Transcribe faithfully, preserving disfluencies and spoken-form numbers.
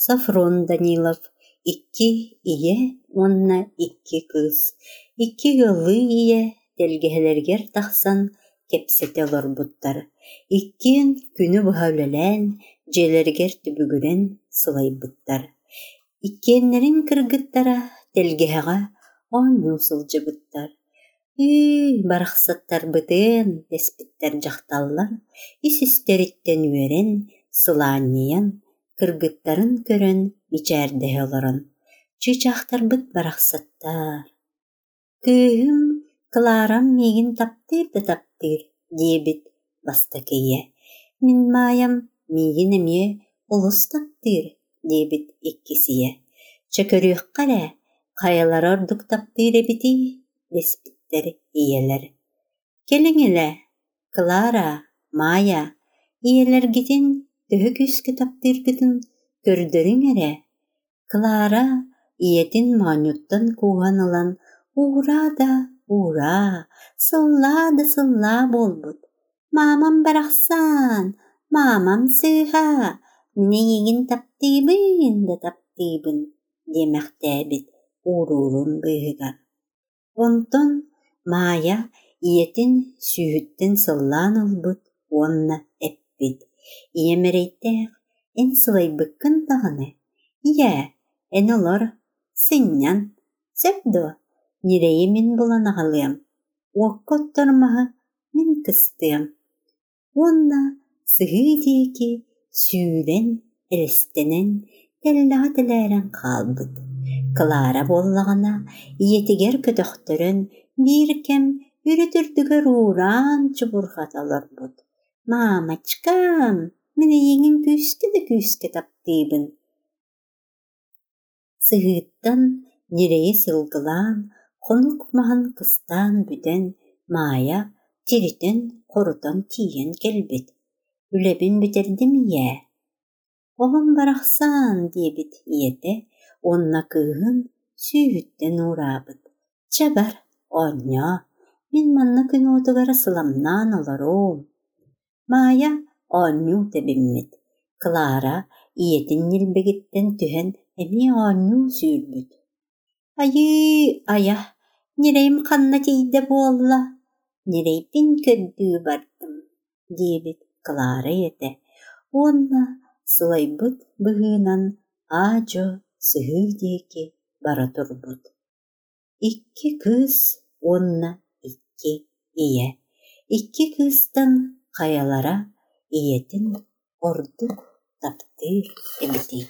Софрон Данилов икки ийэ уонна икки кыыс, икки ыаллыы ийэ тэлгэһэлэригэр тахсан кэпсэтэ олорбуттар. Иккиэн күнү быһа үлэлээн, дьиэлэригэр түбүгүрэн сылайбыттар. Иккиэннэрин кыргыттара тэлгэһэҕэ оонньуу сылдьыбыттар. «Ыы, барахсаттарбытын» дэспиттэр дьахталлар, ис-истэриттэн үөрэн, сылаанньыйан, кыргыттарын көрөн мичээрдэһэ олорон: «Чыычаахтарбыт барахсаттар, кыыһым Кларам миигин таптыыр да таптыыр» диэбит бастакы ийэ. «Мин Маайам миигин эмиэ олус таптыыр» диэбит иккис ийэ. «Чэ көрүөххэ эрэ, хайалара ордук таптыыр эбитий?» дэспиттэр ийэлэр. «Кэлиҥ илэ, Клара, Маайа, ийэлэргитин төһө күүскэ таптыыргытын көрдөрүҥ эрэ». Клара ийэтин моонньуттан кууһан ылан уураа да уураа, сыллаа да сыллаа буолбут. «Маамам барахсан, маамам сыыһа, мин эйигин таптыыбын да таптыыбын» диэмэхтээбит ууруурун быыһыгар. Онтон Маайа ийэтин сүүһүттэн сыллаан ылбыт уонна эппит: «Ийэм эрэйдээх, эн сылайбыккын даҕаны, ийээ, эн олор, сынньан, сөп дуо, ньирэйи мин булан аҕалыам, уокка оттор маһы мин кыстыам» уонна сыһыы диэки сүүрэн элэстэнэн тэллэҕэ тэлээрэн хаалбыт. Клара буоллаҕына ийэтигэр көтөхтөрөн биир кэм үрүт үрдүгэр уураан чубурҕата олорбут: «Мамочкам, мин эйигин күүскэ да күүскэ таптыыбын» Сыһыыттан ньирэйи сылгылаан, хонук маһын кыстаан бүтэн Маайа тиритэн-хорутан тиийэн кэлбит: «Үлэбин бүтэрдим ийээ». «Оҕом барахсан» диэбит ийэтэ уонна кыыһын сүүһүттэн уураабыт: «Чэ бар, оонньоо, мин манна күн уотугар сыламнаан олоруом». Маайа оонньуу тэбиммит, Клара ийэтин ньилбэгиттэн түһэн эмиэ оонньуу сүүрбүт. «Айыы, айа, ньирэйим ханна тиийдэ буолла, ньирэйбин көрдүү бардым» диэбит Клара ийэтэ уонна сылайбыт быһыынан аа-дьуо сыһыы диэки бара турбут. Икки кыыс уонна икки ийэ. Икки кыыстан хайалара ийэтин ордук таптыыр эбитий?